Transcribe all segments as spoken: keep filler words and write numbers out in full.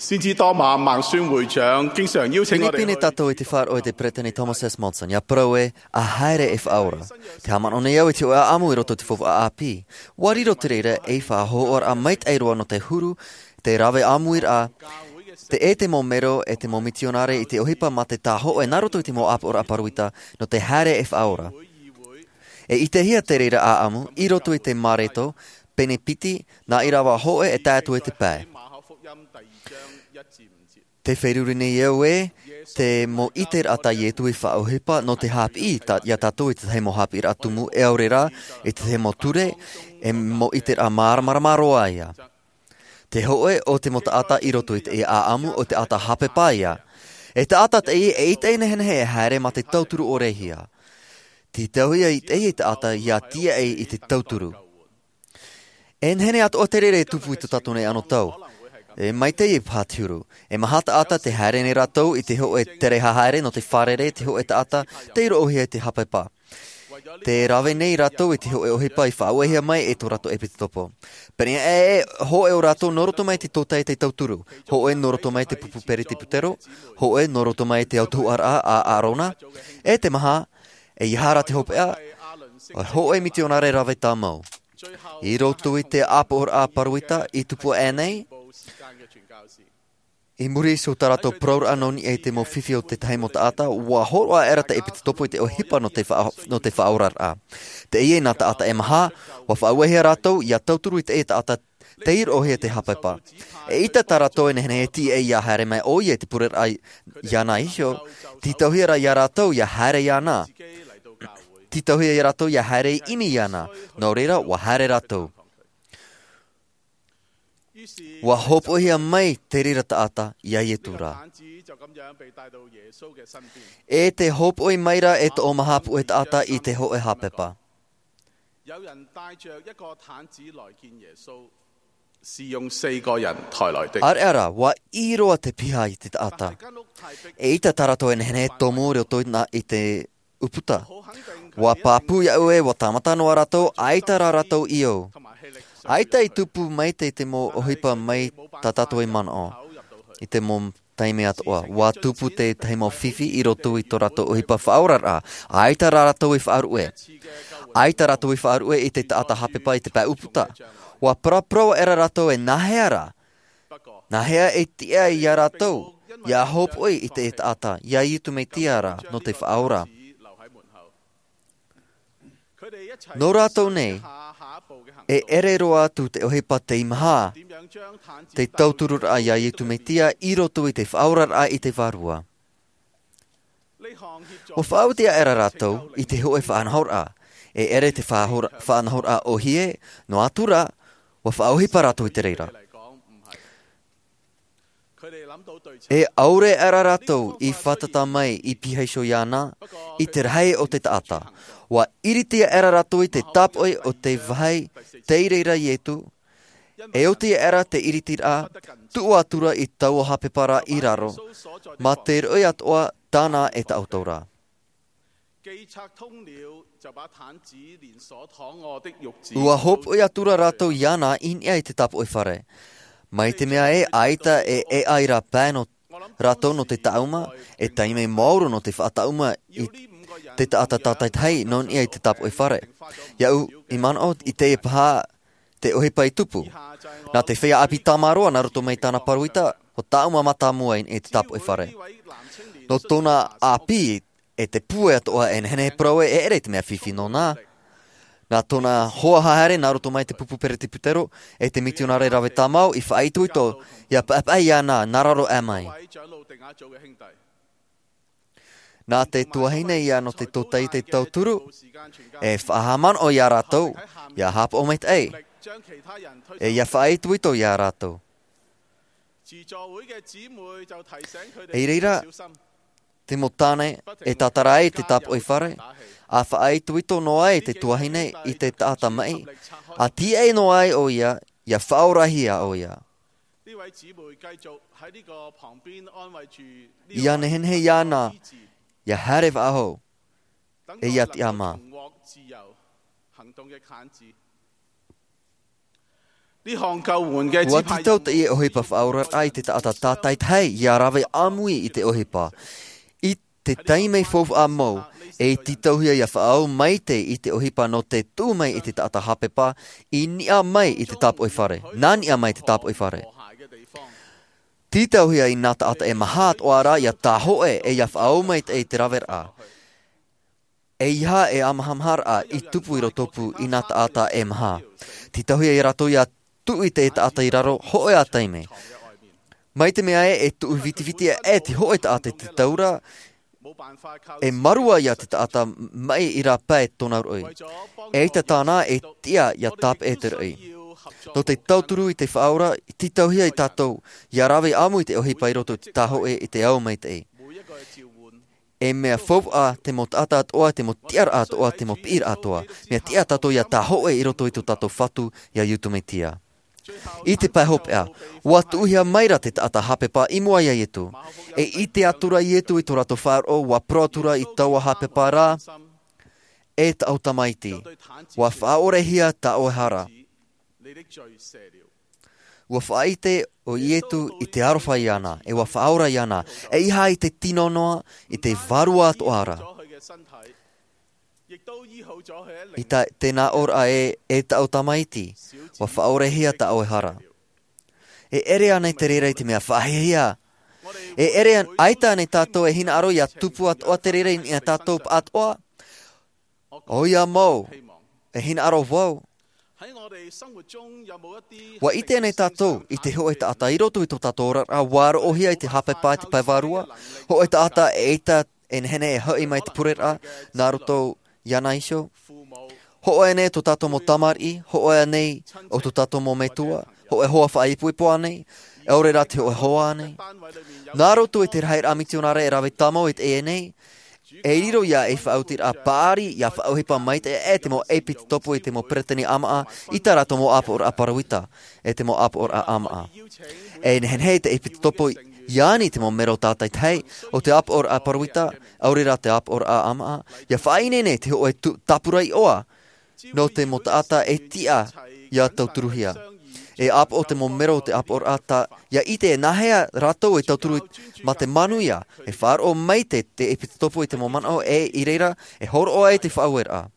先知多馬孟宣會長經常邀請我哋去 Pinepine tātou i te faʻaroʻo i te Peresideni Thomas S. Monson, ʻia parau ē, ʻa haere e Faʻaora. Tē haʻamanaʻo nei au i te hōʻē ʻāʻamu i roto i te faufaʻa ʻāpī. ʻUa riro te reira ei faʻahoʻoraʻa maitaʻi roa nō te huru, te rave ʻāmuiraʻa, te ʻē te mau mero ʻe te mau mitionare i te ʻohipa mā te tāhōʻē nā roto i te mau ʻāpoʻoraʻa paruita nō te haere e Faʻaora. E ʻitehia te reira ʻāʻamu i roto i te Mareko, pene piti, nā ʻīrava hōʻē e tae atu i te pae. Tē feruri nei au ē, te mau ʻiteraʻa tā Ietu i faʻaʻohipa nō te haʻapiʻi tā, ia tātou i te tahi mau haʻapiʻiraʻa tumu, e ʻaore rā, i te tahi mau ture, e mau ʻiteraʻa māramarama roa ia. Te hōʻē o te mau taʻata i roto i te ʻāʻamu ʻo te taʻata haʻapepa ia. E taʻata teie e ʻite nehenehe e haere mā te tauturu ʻorehia. Tītauhia i teie taʻata ʻia tīaʻi i te tauturu. E nehenehe atoʻa te reira e tupu i tō tātou nei anotau. E maitaʻi e paha te huru. E maha taʻata tē haere nei rātou i te hōʻē tere haʻahaere nō te fārerei, te hōʻē taʻata tei roʻohia i te haʻapepa. Tē rave nei rātou i te hōʻē ʻohipa i faʻauehia mai e tō rātou ʻepitopo. Pēneiaʻe, hōʻē o rātou nō roto mai te tōtaiete tauturu, hōʻē nō roto mai te pupu peretiputero, hōʻē nō roto mai te autahuʻaraʻa a Arona, e te maha, e ia hara te hopeʻa, ʻo hōʻē mitionare rave tāmau. I roto i te ʻāpoʻoraʻa paruita i tupu aʻe nei, i muri iho tā rātou parauraʻa nō niʻa i te mau fifi o te tahi mau taʻata, ʻua hōroʻa aʻera te ʻepitopo i te ʻohipa nō te faʻa-, nō te faʻaoraraʻa. Teie nā taʻata e maha, ʻua faʻauehia rātou, ʻia tauturu i te taʻata tei roʻohia te haʻapepa. E ʻita tā rātou e nehenehe e tīaʻi ʻia haere mai ʻoia i te pureraʻa iāna iho, tītauhia rā ia rātou ʻia haere iāna. Tītauhia ia rātou ʻia haere i ʻimi iāna. Nō reira, ʻua haere rātou. ʻUa hōpoihia mai te reira taʻata ia Ietu ra. E tē hōpoi mai ra e tō maha puʻe taʻata i te hōʻē haʻapepa. 有人帶著一個癱子來見耶穌，是用四個人抬來的。 ʻĀreʻa rā, ʻua ʻī roa te piha i te taʻata. E ʻita tā rātou e nehenehe e tomo i roto i nā, i te ʻūputa. ʻUa pāpū iāʻu ē, ʻua tāmata noa rātou, ʻaita rā rātou ʻīʻou. ʻAita i tupu maitaʻi te mau ʻohipa mai tā tātou e manaʻo. I te mau taime atoʻa, ʻua tupu te tahi mau fifi i roto i tō rātou ʻohipa faʻaoraraʻa. ʻAita rā rātou i faʻaruʻe. ʻAita rātou i faʻaruʻe i te taʻata haʻapepa i te pae ʻūputa. ʻUa paraparau aʻera rātou e nāhea rā. Nāhea e tiʻa ia rātou, ʻia hōpoi i te taʻata, ia Ietu Metia ra, nō te faʻaora. Nō rātou nei, e ʻere roa atu te ʻohipa tei maha, te tautururaʻa ia Ietu Metia i roto i te faʻaoraraʻa i te Vārua. ʻUa faʻaoti aʻera rātou i te hōʻē faʻanahoraʻa, e ʻere te faʻahora-, faʻanahoraʻa ʻōhie, noa atu rā, ʻua faʻaʻohipa rātou i te reira. E ʻaore aʻera rātou i fātata mai i piha iho iāna, i te rahi o te taʻata. ʻUa ʻiriti aʻera rātou i te tāpoʻi o te vāhi tei reira Ietu, e oti aʻera te ʻiritiraʻa, tuʻu atu ra i taua haʻapepa ra i raro, mā te roʻi atoʻa tāna e tāʻoto ra. 既拆通了，就把癱子連鎖躺臥的褥子 ʻUa hōpoʻi atu ra rātou iāna i niʻa i te tāpoʻi fare. Mai te mea ē, ʻaita e ʻēʻa i rā pae nō rātou nō te tāʻuma, e taime maoro nō te faʻatāʻuma i te taʻata tātaitahi nō niʻa i te tāpoʻi fare. Iāʻu i manaʻo i teie paha te ʻohipa i tupu. Nā te feiā ʻāpī tāmāroa nā roto mai tāna paruita, ʻua tāʻuma mātāmua i niʻa i te tāpoʻi fare. Nō tōna ʻāpī, e te pūai atoʻa e nehenehe e parau ē, e ʻere i te mea fifi nōna. Nā tōna hoa haere, nā roto mai te pupu peretiputero, e te mitionare rave tāmau i faʻaitoito, ʻia paʻepaʻe iāna nā raro aʻe mai. Nā te tuahine ia nō te tōtaiete tauturu, e faʻahaʻamanaʻo ia rātou, ʻia haʻapaʻo maitaʻi, e ʻia faʻaitoito ia rātou. I reira, te mau tāne e tātara ai te tāpoʻi fare, ʻa faʻaitoito noa ai te tuahine i te taʻata maʻi, ʻa tīaʻi noa ai ʻoia, ʻia faʻaorahia ʻoia. ʻIa nehenehe iāna, ʻia haere faʻahou, e ʻia tiʻamā. Ua tītau teie ʻohipa faʻaoraraʻa i te taʻata tātaitahi ia rave ʻāmui i te ʻohipa. I te taime faufaʻa mau, e tītauhia ia faʻaau maitaʻi i te ʻohipa nō te tuʻu mai i te taʻata hāpepa, i niʻa mai i te tāpoʻi fare. Nā niʻa mai i te tāpoʻi fare. Tītauhia i nā taʻata e maha atoʻa ra ia tāhoʻe e ia faʻaau maitaʻi i te raveraʻa. ʻEiaha e āmahamaharaʻa i tupu i roto pū i nā taʻata e maha. Tītauhia ia rātou ia tuʻu i te taʻata i raro hōʻē ā taime. Mai te mea ē, e tuʻu vitiviti e te hōʻē taʻata i te taura, e marua ia te taʻata maʻi i rā pae tōna roʻi. ʻEita tāna e tiʻa ia tāpeʻa te roʻi. Nō te tauturu i te faʻaora, tītauhia ia tātou ia rave ʻāmui i te ʻohipa i roto i te tāhoʻe i te ao maitaʻi. E mea faufaʻa te mau taʻata atoʻa, te mau tiʻaraʻa atoʻa, te mau piʻiraʻa atoʻa. Mea tiʻa tātou ia tāhoʻe i roto i tō tātou Fatu, ia Iesu Mesia. I te pae hopeʻa, ua tuʻuhia mai ra te taʻata hāpepa i mua ia Iesu. E ʻite atu ra Iesu i tō rātou faʻaroʻo, ua parau atu ra i taua hāpepa ra, E tāʻu Tamaiti, ua faʻaorehia tā ʻoe hara. Ua faʻaʻite ʻo Iesu i te aroha iāna, e ua faʻaora iāna, ʻeiaha i te tino noa, i te vārua atoʻa ra. I tā, tēnā ʻōraʻa ē, e tāʻu Tamaiti, ua faʻaorehia tā ʻoe hara. E ʻere ānei te reira i te mea faʻahiahia? E ʻere an-, ʻaita ānei tātou e hinaʻaro ia tupu atoʻa te reira i niʻa iā tātou pāʻatoʻa? ʻOia mau, e hinaʻaro vau. Ua ʻite ānei tātou i te hōʻē taʻata i roto i tō tātou oraraʻa, ua roʻohia i te hāpepa i te pae vārua, hōʻē taʻata ʻeita e nehenehe e hoʻi mai te pureraʻa, nā roto iāna iho? Hōʻē ānei tō tātou mau tamariʻi, hōʻē ānei ʻo tō tātou mau metua, hōʻē hoa faʻaipoipo ānei, ʻaore rā te hōʻē hoa ānei? Nā roto i te rahiraʻa mitionare e rave tāmau i teie nei, e riro ia ei faʻaotiraʻa paʻari, ia faʻaʻohipa maitaʻi e te mau ʻepitopo i te mau peretiteni ʻāmaʻa, i tā rātou mau ʻāpoʻoraʻa paruita, e te mau ʻāpoʻoraʻa ʻāmaʻa. E nehenehe te ʻepitopo ia ani te mau mero tātaitahi o te ʻāpoʻoraʻa paruita, ʻaore rā te ʻāpoʻoraʻa ʻāmaʻa, ia faʻaineine te hōʻē tu-, tāpura iʻoa, nō te mau taʻata e tiʻa ia tauturuhia. E ʻāpoʻo te mau mero o te ʻāpoʻoraʻa, ia ʻite e nāhea rātou e tauturu mā te manuia, e faʻaroʻo maitaʻi te ʻepitopo i te mau manaʻo e i reira, e hōroʻa ai te faʻaueraʻa.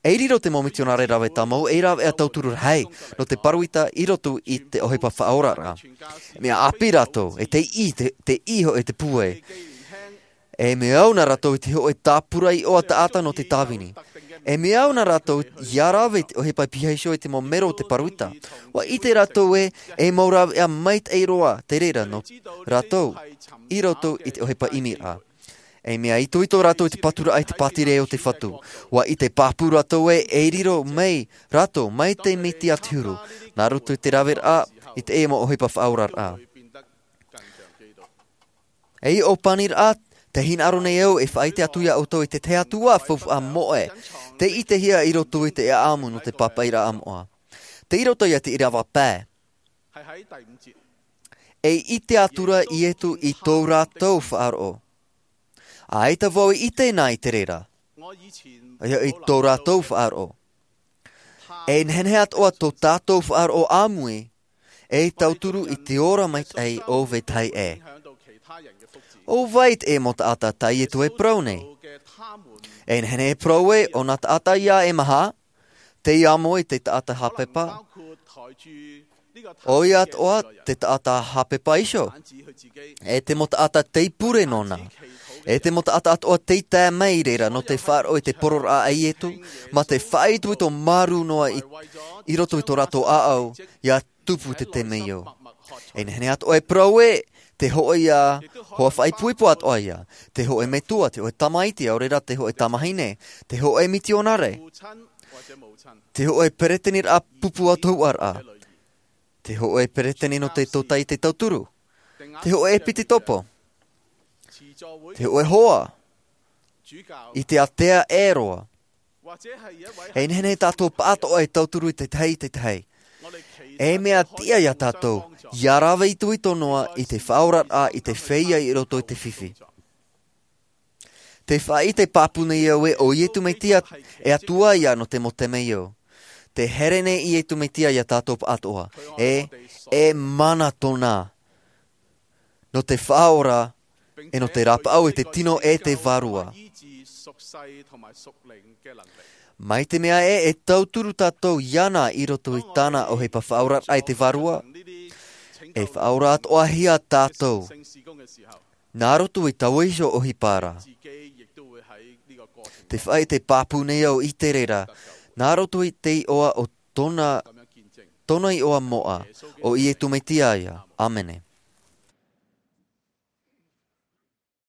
E riro te mau mitionare rave tāmau, e rave ā tauturu rahi, nō te paruita i roto i te ʻohipa faʻaoraraʻa. Mea ʻāpī rātou, e te ʻī, te, te ʻī hoʻi te pūai. E mea au nā rātou i te hōʻē tāpura iʻoa taʻata nō te tāvini. E mea au nā rātou ia rave i te ʻohipa piha iho i te mau mero o te paruita. Ua ʻite rātou ē, e mau rāveʻa maitaʻi roa te reira nō rātou i roto i te ʻohipa ʻimiraʻa. E mea itoito rātou i te paturaʻa i te pātireia o te Fatu. Ua ʻite pāpū rātou ē, e riro mai rātou mai te miti a te huru, nā roto i te raveraʻa i teie mau ʻohipa faʻaoraraʻa. Ei ʻōpaniraʻa, tē hinaʻaro nei au e faʻaʻite atu iā ʻoutou i te tahi atu ā faufaʻa moʻe, tē ʻitehia i roto i te ʻāʻamu nō te pāpaʻiraʻa moʻa. Tei roto ia te ʻīrava pae. E ʻite atu ra Iesu i tō rātou faʻaroʻo. ʻAita vau i ʻite nā i te reira. ʻOia i tō rātou faʻaroʻo. E nehenehe atoʻa tō tātou faʻaroʻo ʻāmui, e tauturu i te ora maitaʻi o vetahi ʻē. ʻO vai te mau taʻata tā Iesu e parau nei? E nehenehe e parau ē, ʻo nā taʻata ia e maha, tei amo i te taʻata hāpepa. ʻOia atoʻa te taʻata hāpepa iho. E te mau taʻata tei pure nōna. E te mau taʻata atoʻa tei tae mai i reira nō te faʻaroʻo i te poroʻraʻa a Iesu, mā te faʻaitoito māuruuru noa i, i roto i tō rātou ʻāʻau, ia tupu te temeio. E nehenehe atoʻa e parau ē, te hōʻē ia hoa faʻaipoipo atoʻa ia, te hōʻē metua, te hōʻē tamaiti, ʻaore rā te hōʻē tamahine, te hōʻē mitionare, te hōʻē peretiteniraʻa pupu atoʻa ra, te hōʻē peretiteni nō te tōtaiete tauturu, te hōʻē ʻepitopo, te hōʻē hoa, i te ātea ʻē roa. E nehenehe tātou pāʻatoʻa e tauturu i te tahi, te tahi. E mea tiʻa iā tātou, ia rave itoito noa i te faʻaoraraʻa i te feiā i roto i te fifi. Tē faʻaʻite pāpū nei au ē, ʻo Iesu Mesia e Atua ia nō te mau temeio. Te here nei Iesu Mesia iā tātou pāʻatoʻa, e, e mana tōna. Nō te faʻaora, e nō te rapaʻau e te tino e te vārua. Mai te mea e, e tauturu tātou iāna i roto i tāna ʻohipa faʻaora e te vārua, e faʻaora atoʻa hia tātou. Nā roto i taua iho ʻohipa ra. Te faʻaʻite pāpū nei au i te reira, nā roto i te iʻoa o tōna, tōna iʻoa moʻa, ʻo Iesu Mesia ia. ʻĀmene.